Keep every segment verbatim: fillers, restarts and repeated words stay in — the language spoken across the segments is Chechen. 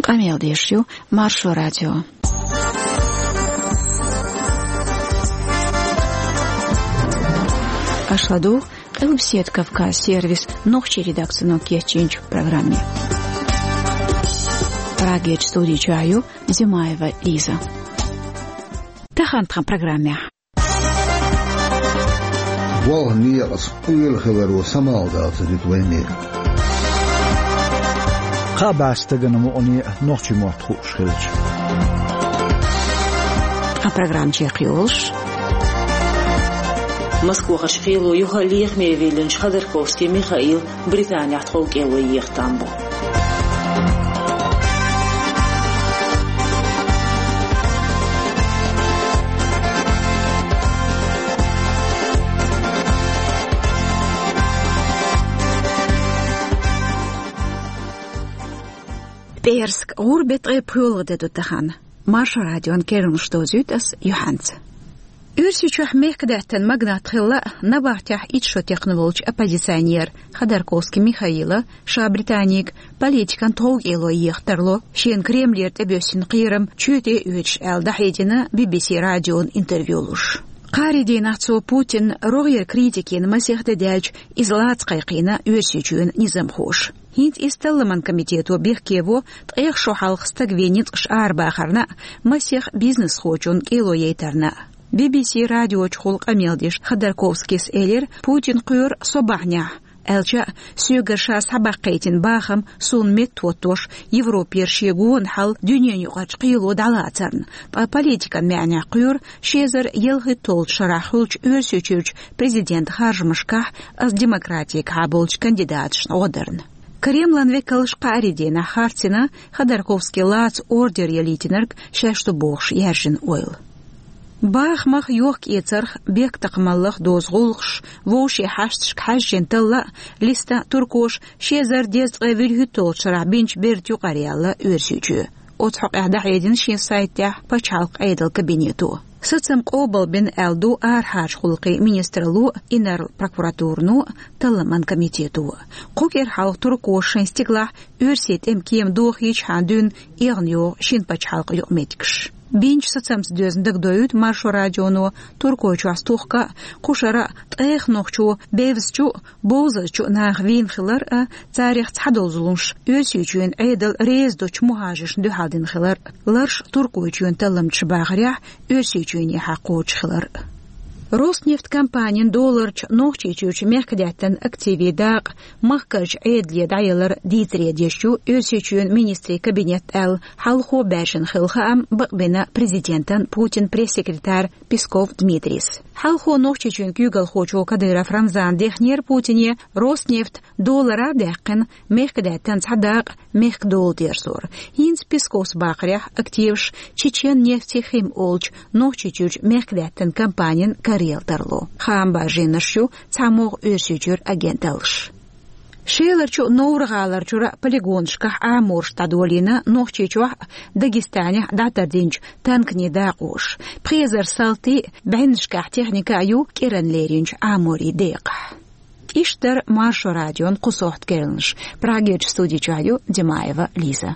Къамел деш ю Маршо радио. Аша ладугӀу Къилбаседа Кавказ сервисан нохчийн редакцино кечйинчу программе. Прагерчу студи чохь ю Зимаева Лиза. Тахана тхан программехь. Болх некъаца къоьлла хиларо самукъадала ца дуьту вайна. Кхаа бӀе стагана мукъане а нохчийн мотт хууш хилча. Тхан программа чекхйолуш. Москвахарчу кхело юха лехаме виллинчу Ходорковский Михаил Британехь тхов кӀело еха там бу. ПӀераска гӀуран беттан ткъе пхоьалгӀа де ду тахана. Маршо радион керланаш дозуьйту ас юьхьанца. Оьрсийчохь мехкадаьттан магнат хилла а, набахтехь итт шо текхна волчу оппозиционера Ходорковский Михаила ша Британега политикан тхов кӀело еха тарло, шена Кремлера тӀебоьссина кхерам чоьте оьцуш аьлла дӀахьедина Би-Би-Си радиона интервью луш. Кхаарин дийнахь цо Путинна рогӀера критика йина масех де даьлча, иза лаца кхайкхийна Оьрсийчоьнан низамхоша. ХӀинца иза талламан комитето бехке во ткъех шо хьалха стаг вен ницкъаш арабахарна а, масех бизнесхочунна кӀело яйтарна а. Би-Би-Си радиочухула къамел деш Ходорковскийс элира, Путин кхоьру со бахьанехь, аьлча а, соьгара ша схьабаккхийтина бахам суна меттахӀоттош, Европера шен гонахьал дуьненаюкъарчу кхело дӀалацарна, ткъа политикан маьӀнехь кхоьру ши эзар ялхитталгӀачу шарахь хуьлучу Оьрсийчуьрчу президентан харжамашкахь аса демократигахьа болчу кандидаташна гӀо дарна. Кремлан векалша кхаарин дийнахь харцйина Ходорковский лаца ордер ялийтинарг шаьш ду бохуш яьржина ойла. Бахамах, йохк-эцарх, бехктакхамаллах доьзна гӀуллакхаш, вовшийн хьашташка хьаьжжина талла а листа туркоша ши эзар дезткъе вуьрхӀитталгӀачу шарахь бинчу бертан юкъара яьлла Оьрсийчоь. Оцу хьокъехь дӀахьедина шен сайтехь пачхьалкхан Ӏедалан кабинето. Сацам къобалбина аьлла ду арахьарчу гӀуллакхийн министралло а, инарла прокуратурано а, талламан комитето а. Кху кӀира хьалха туркоша шайн стигалахь оьрсийн тӀеман кема дохийчхьана дуьйна эгӀна йогӀу шина пачхьалкхан юкъаметтигаш. Бинчу сацамца доьзна дагадоуьйту Маршо радионо Туркойчохь стухка а, кху шарахь а ткъех нохчо бевзачу а, бовзазчу а наха вийна хилар а, царех цхьадолу зуламаш Оьрсийчоьнан Ӏедал реза долчу мухӀажаршна дуьхьал дина хилар а, ларш Туркойчоьнан талламчаша бахарехь, Оьрсийчоьнехьа кхочуш хилар а. Роснефть компанин доларчу Нохчийчуьрчу мехкадаьттан активийн дакъа махкарчу Ӏедале дӀаялар дийцаре деш ю Оьрсийчоьнан министрийн кабинет аьлла, хьалхо баьржина хилла хаам бакъбина президентан Путинан пресс-секретарь Песков Дмитрийс. Хьалхо Нохчийчоьнан куьйгалхочо Кадыров Рамзана дехнера Путине Роснефть долара а даьккхина, мехкадаьттан цхьа дакъа мехкан дола дерзор. ХӀинца Песковс бахарехь, активаш Чечен нефтехим олучу Нохчийчуьрчу мехкадаьттан компанин карайалла тарло. Хаам баржийнарш ю цхьамогӀа Оьрсийчуьра агенталлаш. Шеларчу а, Невран гӀаларчура а полигонашкахь Ӏамораш дӀадолийна Нохчийчохь а, Дагестанехь а дӀатардинчу танканийн дакъоша. Пхи эзар салти а, бӀеннашкахь техника а ю кӀиранна леринчу Ӏаморийн декъахь. Иштта дара Маршо радион кху сохьта керланаш. Прагерчу студи чохь ю Димаева Лиза.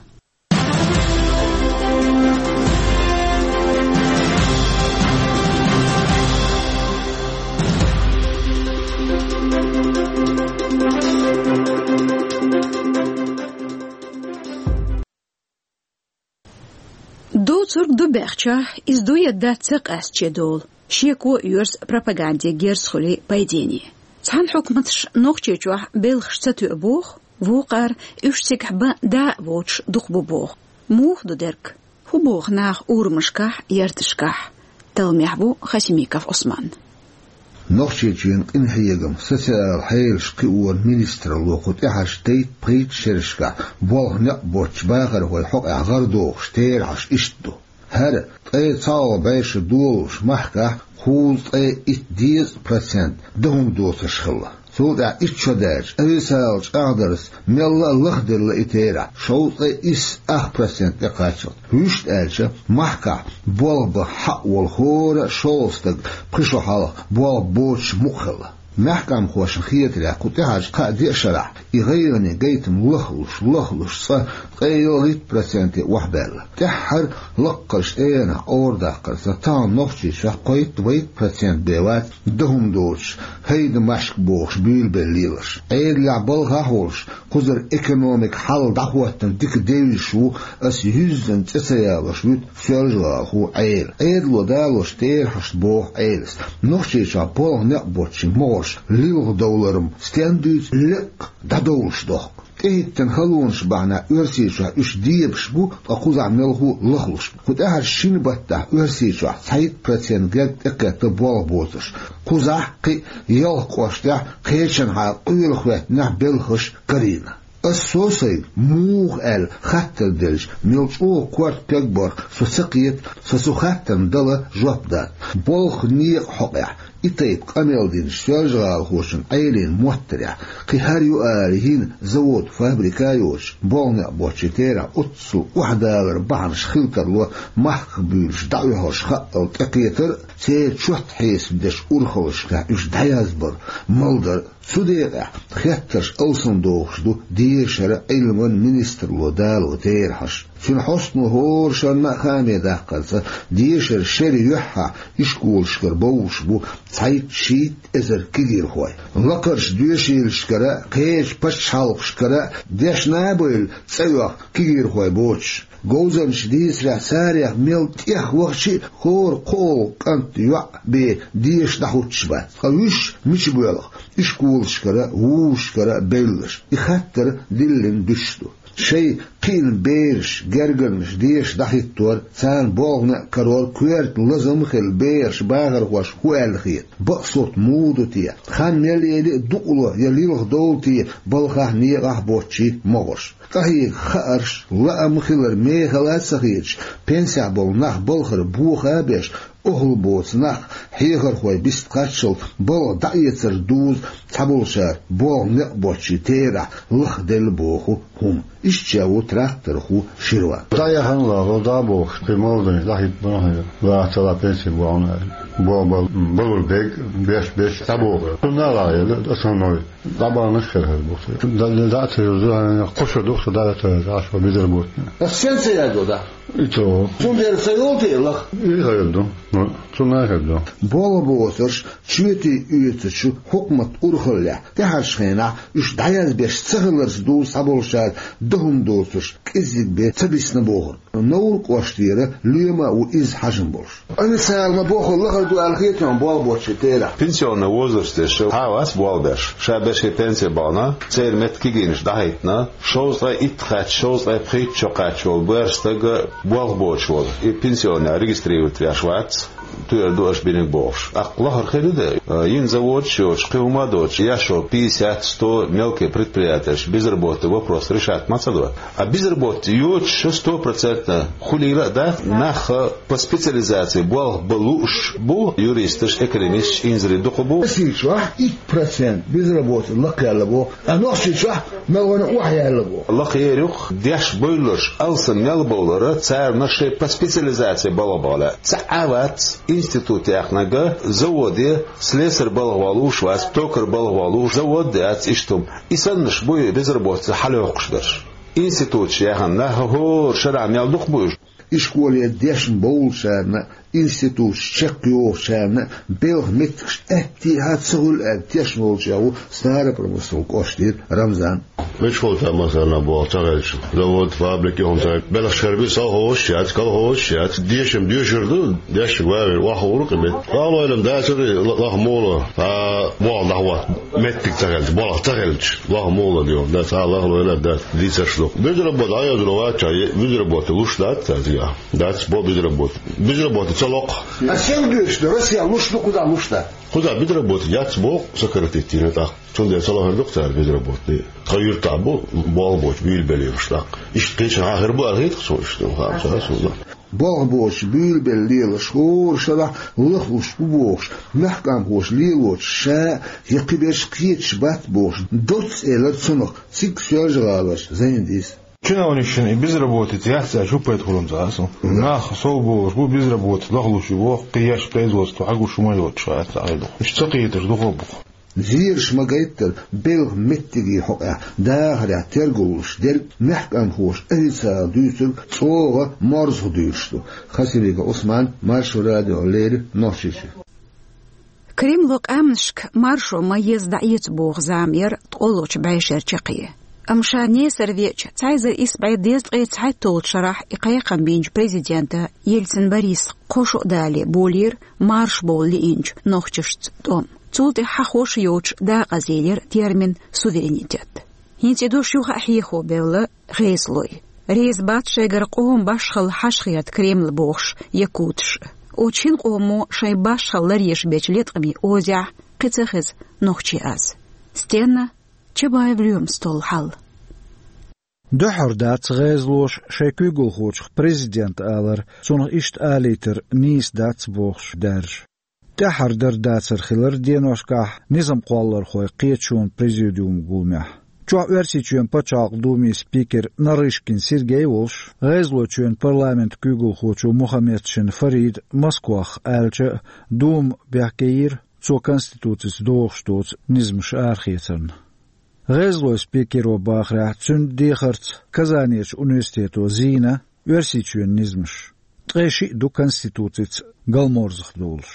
Доцург ду баьхча, иза дуй а дац ца къаьстачу долу, шеко а оьрса пропаганде герз хуьлий пайдене. Цхьана хьукматаш Нохчийчохь белхаш ца тоьу боху, вукхара уьш цигахь бан да а воцуш дукха бу боху. Муха ду дерг? ХӀун боху наха урамашкахь, ярташкахь? Талламехь ву Хасимиков Ӏусман. Нохчийчоьнан къинхьегам, социал хьелаш кхиоран министралло кху тӀаьхьарчу дейтта-пхийтта шерашкахь болх некъ боцчу бахархойн хьокъехь гӀарадохуш терахьаш иштта ду. ХӀара ткъе цхьалгӀа бӀе шо долалуш махкахь кхузткъе итт дезткъа процент дан хӀума доцурш хилла. Цул тӀаьхьа итт шо даьлча, официалан чӀагӀдарца мелла а лахделла и терахь, шовзткъе исс ах процент тӀекхаччалц. Вуьшта аьлча, махкахь болх бан хьаъ волу хӀора шолгӀа стаг пхи шо хьалха болх боцуш мукъа хилла. Маьхкамхошна хетарехь, кху тӀаьхьарчу кхаа-деа шарахь И гӀайгӀане гайтам лахлуш, лахлуш цкъа ткъе ялхитта проценте охьабаьлла. ТӀаьххьара лакхарчу тӀегӀанах къоврадаккхарца, тахана Нохчийчохь кхойтта-вайтта процент бен вац дан хӀума доцуш, хӀайда-машка бохуш буьйлабелла лелаш. Ӏедалехь балхахь а волуш, кхузара экономикан хьал дӀахӀоттийна дика девзаш ву аса юьззина цӀе ца ялош вуьту Соьлжа-ГӀалахо Ӏела. Ӏедало далочу терахьашца боху Ӏелас, Нохчийчохь болх некъ боцчийн могӀарш лилха довлар-м стенна дуьйцу лекха дӀадовлуш дохку. ТӀехӀиттина халонаш бахьана Оьрсийчохь уьш дебаш бу, ткъа кхузахь мелхо а лахлуш бу. Кху тӀаьхьарчу шина баттахь Оьрсийчохь цхьайтта процент герга тӀекхетта болх боцурш. Кхузахь, кхин а ялх кӀоштехь, кхечанхьа къоьлла хӀоьттинехь белхаш карийна. Ас со сайга, муха аьлла хаттар делча, мел чӀогӀа корта кегбарх со ца кхета, со цу хаттарна дала жоп дац. Болх некъа хьокъехь и тайпа къамел динчу Соьлжа-ГӀалахочун Ӏелин моттарехь, кхин хӀара ю ала йина завод, фабрика а йоцуш, болх некъ боцчийн терахь оццул охьадалар бахьанаш хила тарло махках буьйлуш дӀаоьхурш хаъал тӀекхетар а, церан чот хьесап дечу урхаллашкахь уьш дӀаязбар а, малдар а. Цу декъехь хеттарш алсамдохуш ду дешаран а, Ӏилман а министралло дало терахьаш. Цуьнан хьостано хӀора шарна а хааме даккхарца, дешаран шеран юьххьехь ишколашкара бовлуш бу цхьайтта-шийтта эзар кегийрхой. Лакхарчу доьшийлашкара а, кхечу пачхьалкхашкара а дешна а бевлла цӀа оьху кегийрхой боцуш. Говзанчаша дийцарехь, царех мел тӀех вахча а хӀора кхоалгӀа кӀант, йоӀ бен деша дӀахӀуттуш бац. Ткъа уьш мича боьлху ишколашкара а, вузашкара а бевлларш? И хаттар диллина дуьсуш ду. Шайн кхиъна бераш, гергарнаш деша дӀахӀиттор, царна болх некъ карор коьрта лазам а хилла, бехарш, бахархошка хӀун аьлла хета? Бакъ сурт муха ду те? Хан мел яьлча а дукъало я лилха довла те балхахь, некъахь боцчийн могӀарш? КъахӀига хаарш, лаам хилар мехала а ца хеташ, пенсехь болу нах балхара боха а беш, охьалла боцу нах, хьехархой бист кхаччалц балха дӀаэцар дузу цхьаболчара болх некъ боцчийн терахь лахделла боху хӀума. Иштта ву тракторхо Ширван. ДӀаяхана лахло, дӀа а бохуш, кхин молодой дӀахӀиттабо хьуна, ваха ца лаьа пенси бохуна аьлла. Бо-, бо-, балур бег, беш-беш дӀабоху. Цунна а лахьа елла, основной. ДӀабаханаш хир хир бу. Да, да, да, ца юзу, кхуша духу, да, да, ца юзу, аш бу безработный. Ас сен ца яздо, да? И то. Цундела ца йолу те лаха? И хир ду. Ну, цунна а хир ду. Болх боцурш, чоьте оьцучу хьукмат урхаллехь, тӀаьхьарчу хенахь уьш дӀаязбеш ца хиларца дузу цхьаболчара дан хӀума доцурш кӀеззиг бен ца бисна бохург. Новр кӀоштера лоьма а ву иза хьажам болуш. Официально бохург лахара ду аьлла хета хьуна болх боцчийн терахь? Пенсионный возраст деш, хьа а вац болх беш. Ша беш и пенсий бахана, церан метта кегийнаш дӀахӀиттина, шовзткъе итт кхаьчча, шовзткъе пхийтта шо кхаьчча волу боьрша стаг болх боцуш волу. И пенсионный регистрировать веш вац, туьйр ду аша биниг бохуш. ТӀаккха лахара хир ду де, йина заводаш йоцуш, кхин хӀума а доцуш, еш йолу пятьдесят, сто мелкий предприятиеш, безработный вопрос решать ма ца до. А безработный йоцуш, сто процентов хуьлийла а дац, нах по специализации болх бан лууш бу, юристаш, экономисташ, инзаре дукха бу. Оьрсийчохь итт процент безработный лакхаелла боху, а Нохчийчохь мел вайна охьаяьлла боху. Лакхера юкъ деш бевлларш алсам мел бовлара, царна шайн по специализации балха бахьа лаьа. Цхьа а вац институт яьккхинарг, заводе слесарь балха ваха лууш вац, токарь балха ваха лууш, завод а яц, иштта хӀума. И саннаш бу и безработица хьалайоккхуш берш. Институташ яьхна нах хӀора шарахь мел дукха бу уьш. Ишколе дешна бовлучарна, институташ чекхйохучарна белхан меттигаш аьттехьа ца хуьлу аьлла тешна волчех ву Старопромыслан кӀоштера Рамзан. Мичахь хӀума ца, масала, болх ца хилча, завод, фабрика, хӀума ца хилча, белхаш хир бу, совхозаш яц, колхозаш яц, дешам доьшур ду, дешнарг ван вер охьахуур ду кхин метта. Лахлойла-м дацара, лаха мула, а, болх дӀахӀотта меттиг ца хилча, болх ца хилча, лаха мула де, да, цхьа лахлойла а дац, дийцарш ду. Безработный дӀайозур вац, безработный луш дац цаьрга. Дац, бо безработный. Безработный ца локху. А стенга дуьйцуш ду, Россия луш ду, кхузахь луш дац? Кхузахь безработный яц боху, сократить йина тӀаккха. Цундела ца лахара ду-кх цара безработный. Тхан юьртахь бу болх боцуш буьйлабелла лелаш тӀаккха. Иштта кхечанхьа хир бу аьлла хета-кх суна, иштта хаа ца суна. Болх боцуш буьйлабелла лелаш хӀора шарахь лахлуш бу бохуш, мехкамхоша лелочух ша я кхиберш кхеташ бац бохуш, доцца элира цунах цига Соьлжа-ГӀаларчу Зайндис. Чиновникашна и безработица яц аьлча, хӀун пайда хуьлу ца хаьа суна? Нах сов болуш бу, безработица лахлуш ю боху, кхин еш производство хьагуш хӀума йоцуш хаьа ца хьайдо. Уьш ца кхеташ дукха бу-кх. Зераш ма гайттара, белхан меттиге хьокъехь дахарехь тергалуш дерг мехканхоша официально дуьйцург чӀогӀа морзах дуьйлуш ду. Хасимиков Ӏусман, Маршо радио, леррина Нохчийчоь. Кремло къаьмнашка маршо ма еза дӀаэца боху зама яра ткъолгӀачу бӀешеран чаккхе. Амма ша несар веача, цхьа эзар исс бӀе дезткъе цхьайтталгӀачу шарахь и кхайкхам бинчу президента Ельцин Бориса кхо шо а далале болийра маршо бовла лиъначу нохчашца тӀом. Цул тӀаьхьа хьахош йоцуш дакъазъелира термин «суверенитет». ХӀинца и дош юха а хьехо бевлла ГӀезалой. Реза бац шайгара къоман башхалла хьашхерта Кремль бохуш якуташ. Оцу шина къомо шайн башхалла ларъеш бечу леткъаме озехь кхин ца хеза нохчийн аз. Стенна Чабаев, Лоьмас, Толла хьал. Дуьххьара дац гӀезалоша шайн куьйгалхочух президента алар, цунах иштта алийтар нийса дац бохуш даьржа. ТӀаьххьара дар дацар хилар деношкахь низам кхоллархойн кхеташонан президиуман гуламехь. Чохь Оьрсийчоьнан пачхьалкхан думин спикер Нарышкин Сергей волуш, ГӀезалойчоьнан парламентан куьйгалхочо Мухамедшин Фарида Москвахь аьлча а, дума бехке йира цо конституцица догӀуш доцу низамаш арахецарна. ГӀезалойн спикеро бахарехь, цуьнан дехарца Казанерчу университето зийна Оьрсийчоьнан низамаш. Ткъе шиъ ду конституцица галморзах долуш.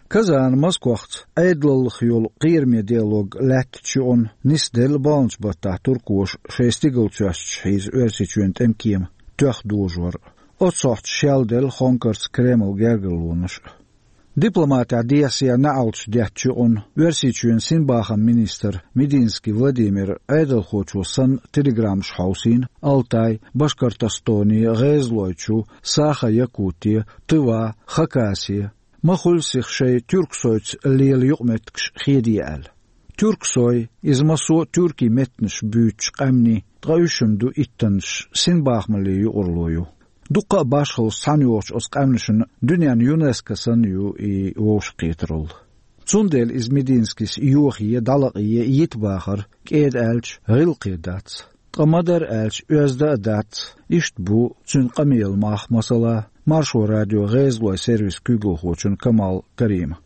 Казана Москвахца Ӏедалаллах йолу кхераме диалог лаьттачу юкъана нисделла балханчу баттахь туркоша шайн стигала цоьсташ хьийза Оьрсийчоьнан тӀемкема тоьхна дожор. Оццу сохьташ шелделла хонкарца Кремлан гергарлонаш а. Дипломатехь дехьа-сехьа неӀалташ деттачу юкъана Оьрсийчоьнан синбахаман министр Мединский Владимира Ӏедалхочо санна телеграммаш хьовсийна Алтай, Башкортостоне, ГӀезалойчу, Саха-Якуте, Тыва, Хакасе, ма хуьллу сиха шайн Тюрксойца лела юкъаметтигаш хедийта аьлла. Тюрксой, иза массо а тюркийн меттанаш буьйцучу къаьмнийн, ткъа уьш-м ду иттаннаш, синбахамаллин юкъарло ю. Дуккха а башхаллаш цхьаьна йохучу оцу къаьмнашна дуьненан ЮНЕСКО санна ю и вовшахкхетаралла. Цундела иза Мединскис йохае, дӀалакъае йита бахар, кӀеда аьлча, гӀиллакхе дац. Ткъа ма-дарра аьлча, оьзда а дац, иштта бу цуьнан къамелан мах, масала, Маршо радион ГӀезалойн сервисан куьйгалхочун Камал Кариман.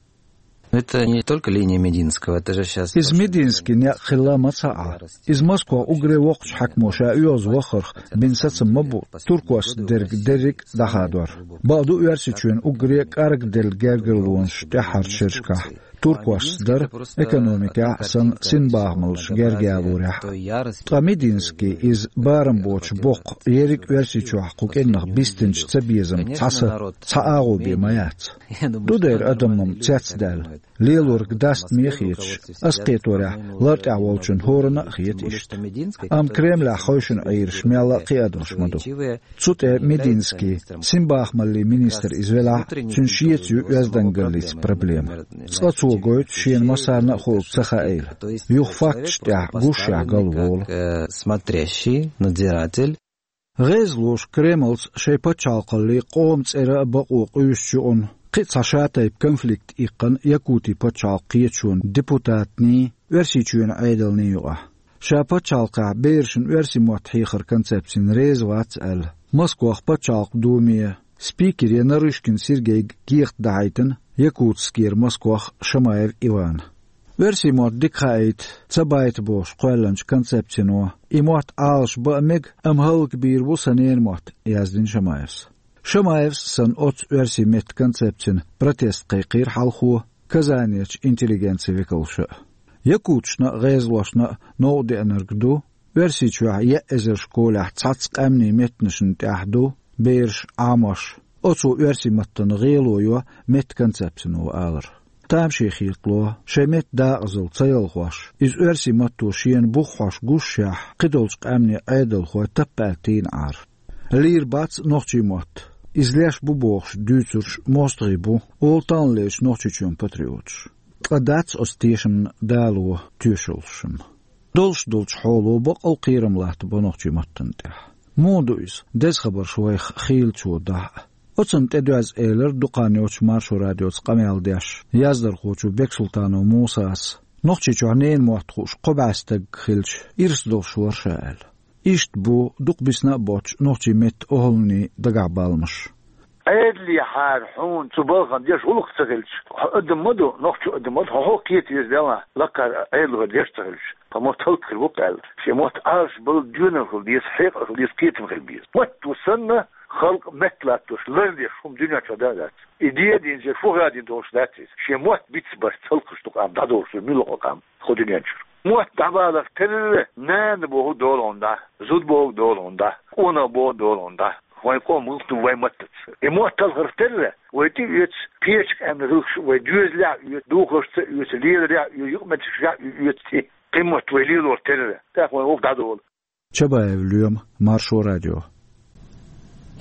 Это не только линия Мединского, это же щас... Иза Мединскин некъ хилла ма ца Ӏа. Иза Москвахь уггаре воккхачу хьаькамо ша оьгӀаз вахарх бина сацам ма бу туркошца дерг дерриг а дӀахадор. Бакъду, Оьрсийчоьнан уггаре кӀаргделла гергарлонаш тӀаьххьарчу шерашкахь туркошца дара, экономикехь а санна, синбахамаллаш герга ялорехь а. Ткъа Мединский иза барам боцуш боккху ерриг Оьрсийчохь кху кӀирнах бистинчу цабезаман цхьа са, цхьа агӀо бен ма яц. Ду дера адам-м цецдаьлла, лелорг дастаме а хеташ, ас кхеторехь, лартӀехь волчун хӀоранна а хета иштта. Амма Кремлехь хевшина Ӏийраш мелла а кхиадалш ма ду. Цу тӀе Мединский, синбахамаллин министр иза велахь а, цуьнан шеца ю оьздангаллица проблема. Цкъа цо гойту шена массарна а хуург ца хаийла. Юха факташ тӀехь гушшехь галволу. Как, э, смотрящий, надзиратель. ГӀезалоша Кремлца шайн пачхьалкхаллин, къоман цӀеран а бакъо къуьйсучу юкъана, кхин а цхьа шатайпа конфликт иккхина Якутин пачхьалкхан кхеташонан депутатний, Оьрсийчоьнан Ӏедалний юкъахь. Ша пачхьалкхехь берашна оьрсийн мотт хьехаран концепцина реза вац аьлла, Москвахь пачхьалкхан думе спикере Нарышкин Сергейга кехат дахьийтина Якутскера Москвахь Шамаев Ивана. Оьрсийн мотт дика хаийта, ца байта бохуш кхоьллинчу концепцино, и мотт Ӏалаш бан а мега, амма хӀаллакбийр бу сан ненан мотт, яздина Шамаевс. Шамаевс а санна, оццу оьрсийн меттан концепцина протест кхайкхийра хьалхо Казанерчу интеллигенцин векалша а. Якуташна а, гӀезалошна а новкъа деанарг ду, Оьрсийчохь еа эзар школехь цхьацца къаьмнийн меттанашна тӀехь ду бераш, Ӏамош, оцо оьрсийн маттана гӀело йо меттан концепцино алар. Тамаше хетало, шайн меттан дакъазалла ца ялхош, иза оьрсийн матто шена бух хьош гушшехь, кхидолчу къаьмнийн Ӏедалхой таппа аьлла тийна Ӏара. Лийр бац нохчийн мотт, иза леш бу бохуш дуьйцурш мостагӀий бу, олу таханлерчу Нохчийчоьнан патриоташ. Ткъа дац оцу тешамна дало тоьшаллаш-м. Долуш долчу хьоло бакъал кхерам латтабо нохчийн маттана тӀехь. Муха ду иза, деза хабарш вайх хийлачо дахь а? Оцунна тӀедоьзна элира дукха хан йоццуш Маршо радиоца къамел деш яздархочо Бексултанов Мусас, Нохчийчохь ненан мотт хууш кхо бӀе стаг хилча, ирс долуш вара ша аьлла. Иштта бу дукха бисна а боццуш нохчийн меттан охӀланийн дагахь баламаш. Ӏедал Лехьара хьуна цу балхана деш гӀулакх ца хилча, хьо адам ма ду, нохчо адам ма ду, хьо хьо кхета веза Далла, лакхара Ӏедалхо деш ца хилча, тха мотт хӀаллакьхир бу-кх аьлла. Шен мотт Ӏалаш бала доьналла хила деза, хьекъал хила деза, кхетам хила беза. Мотт ву санна, халкъ метталаттош, лардеш хӀума дуьнен чу да а дац. И де а динча, фу хадийна долуш дац иза. Шен мотт бицбарца хӀаллакьхуш ду къам, дӀадолуш ду муьлхха къам, хӀу дуьнен чуьра. Мотт дӀабаларх терра, нана бохург долу хьуна дӀа, зуда бохург долу хьуна дӀа, къонах бохург долу хьуна дӀа. Вайн къоман гӀуллакх ду вайн маттаца. И мотт талхарх терра, вай тӀе а оьцу, кхечу къаьмнийн гӀиллакхаш вай доьзалехь а оьцу, духаршца а оьцу, леларехь а оьцу, юкъаметтигашкахь а оьцу тӀе. Кхин мотт вай лелор терра, тӀаккха вайн гӀуллакх дӀадолу. Чабаев Лоьма, Маршо радио.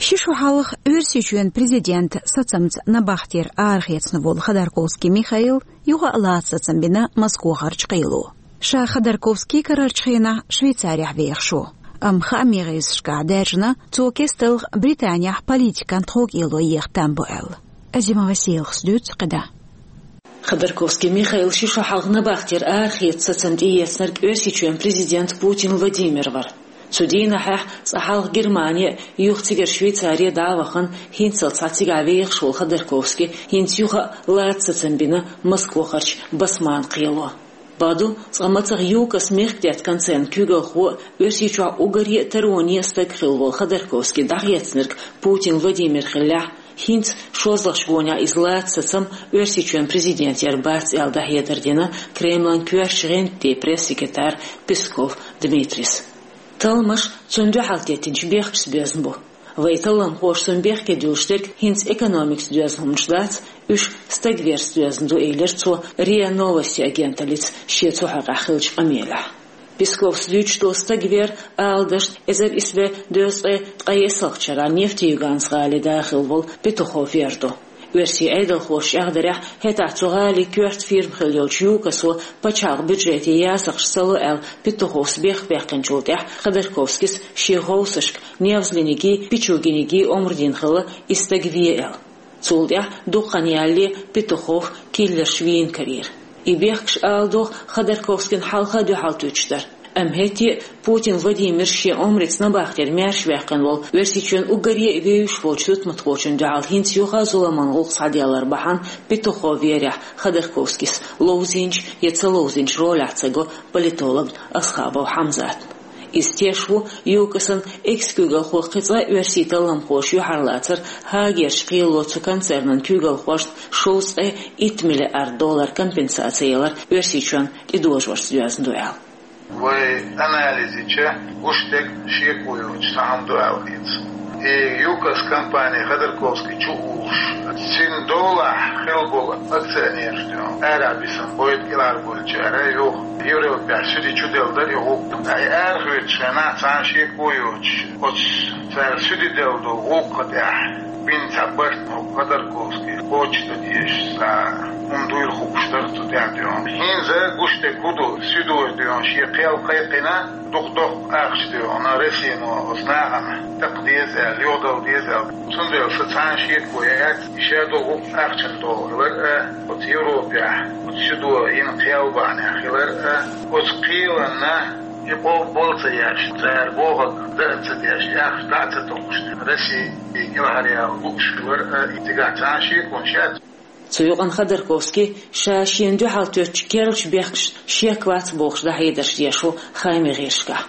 Ши шу хьалха Оьрсийчоьнан президентан сацамца набахтера арахецна волу Ходорковский Михаила юха а лаца сацам бина Москохарчу кхело. Ша Ходорковский карарчу хенахь Швейцарехь вехаш ву. Амма хаамийн гӀирсашкахь даьржина, цо кесталгӀа Британехь политикан тховкӀело еха там бу аьлла. Азимова Селхас дуьйцу кхидӀа. Ходорковский Михаил ши шу хьалха набахтера арахеца сацам тӀеэцнарг Оьрсийчоьнан президент Путин Владимир вара. Цу дийнахьехь цкъа хьалха Германи а, юха цигара Швейцари а дӀа а вахана, хӀинццалц цигахь вехаш волу Ходорковский хӀинца юха а лаца сацам бина Москохарчу Басманн кхело. Бакъду, цкъа мацах ЮКОС мехкдаьтта концернан куьйгалхо а, Оьрсийчохь уггаре а тароне а стаг хилла волу Ходорковский дӀахецнарг Путин Владимир хиллехь, хӀинца шозлагӀчу гонехь иза лаца сацам Оьрсийчоьнан президент яр бац аьлла дӀахьедар дина Кремлан коьртачу гӀантден пресс-секретара Песков Дмитрийс. Талламаш цунна дуьхьал теттинчу бехкашца доьзна бу. Вайн талламхоша цунна бехке дуьллуш дерг хӀинца экономикаца доьзна хӀуманаш дац, уьш стаг верца доьзна ду, элира цо РИА Новости агенталлица шен цу хьокъехь хиллачу къамелехь. Песковс дуьйцуш долу стаг вер, ала дашна, эзар исс бӀе дезткъе ткъаесналгӀачу шарахь Нефтеюганс гӀалин да хилла волу Петухов вер ду. Оьрсийн Ӏедалхоша чӀагӀдарехь, хӀетахь цу гӀалин коьрта фирма хилла йолчу ЮКОСо пачхьалкхан бюджете ясакхаш ца ло аьлла, Петуховс бехк баьккхинчул тӀаьхьа Ходорковскийс шен гӀовсашка Невзлинигий, Пичугинигий омра дина хилла, и стаг ве аьлла. Цул тӀаьхьа дукха хан ялале Петухов киллерша вийна карийра. И бехкаш, ала догӀу, Ходорковскийна хьалха а дуьхьал туьттуш дара. Амма хӀетте а Путин Владимира шен омрица набахтера маьрша ваьккхина волу, Оьрсийчоьнан уггаре а вевзаш волчу тутмакхочунна дуьхьал хӀинца юха а зуламан гӀуллакх схьаделлар бахьана Петухов верехь Ходорковскийс ловзийначу я ца ловзийначу ролехь ца го политологна Асхабов Хьамзатна. Иза теш ву ЮКОСан экс-куьйгалхо кхин цкъа а оьрсийн талламхоша юьхьарлацар, Гаагерчу кхело цу концернан куьйгалхошна шовзткъе итт миллиард доллар компенсаци ялар Оьрсийчоьнна тӀедожорца доьзна ду аьлла. Вай анализ йича, гуш дерг шеко йоцуш цхьа хӀума ду аьлла хета. И ЮКОС компани Ходорковский чу а вуьгуш, цуьнан долахь хилла болу акционераш ду, арахь бисина бойда кӀелхьарболчара юха Европехь суьде чу делла дара и гӀуллакх. Ткъа и арахоьцучу хенахь цхьа а шеко йоцуш, оцу цара суьде делла долу гӀуллакха тӀехь бина цхьа барт, Ходорковский кхочушдан дезаш цхьа хӀума дуйла хууш дара цу тӀехь дуьйна. ХӀинца гуш дерг хӀун ду, суьдо дуьйна шен кхел кхайкхина, дукха доккха ахча дуьйна Россино оцу нахана такха деза аьлла, йодала деза аьлла. Цундела сан цхьа а шеко яц, и шадолу гӀуллакх ахчана долу хилар а, оцу Европехь оцу суьдо йина кхел бахьанехь хилар а, оцу кхеланна и къобал ца еш, цара бохург дан а ца деш, и ахча дӀа а ца токхуш, Россия кӀелхьаръяла лууш хилар а, и цигахь цхьа а шеконаш яц. Цу юкъана Ходорковский ша шена дуьхьал тоьттучу керлачу бехкашна шек вац бохуш дӀахьедарш деш ву хаамийн гӀирсашкахь.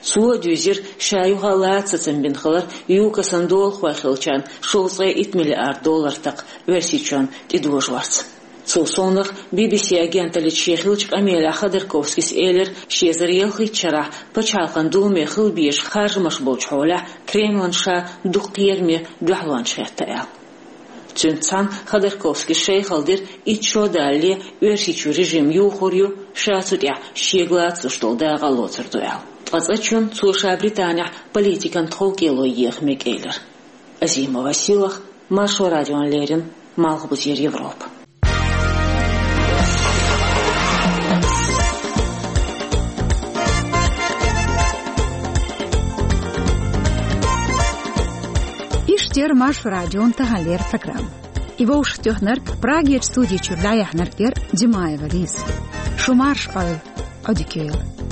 Цо а дуьйзира ша юха а лаца сацам бина хилар ЮКОСан долахой хиллачарна шовзткъе итт миллиард доллар такха Оьрсийчоьнна тӀедожорца. Цул совнаха Би-Би-Си агенталлица шен хиллачу къамелехь Ходорковскийс элира, ши эзар ялхиттачу шарахь Пачхьалкхан Думе хила безаш харжамаш болчу хьолехь Кремлана ша дукха кхераме дуьхьалончаш хетта аьлла. Цуьнца цхьаьна Ходорковскийс шайхалла дира, итт шо далале Оьрсийчуьра режим юхур ю, ша цу тӀехь шега лацалуш долу дакъа а лоцур ду аьлла. Ткъа цкъачунна цо ша Британехь политикан тховкӀело еха мега элира. Азимова Селах, Маршо радиона леррина, Малхбузера Европа. Иштта яра Маршо радион таханлера программа. И вовшахтоьхнарг, Прагерчу студи чуьра дӀаяьхьнарг яра Димаева Лиза. Шу марша Ӏойла, Ӏодика йойла.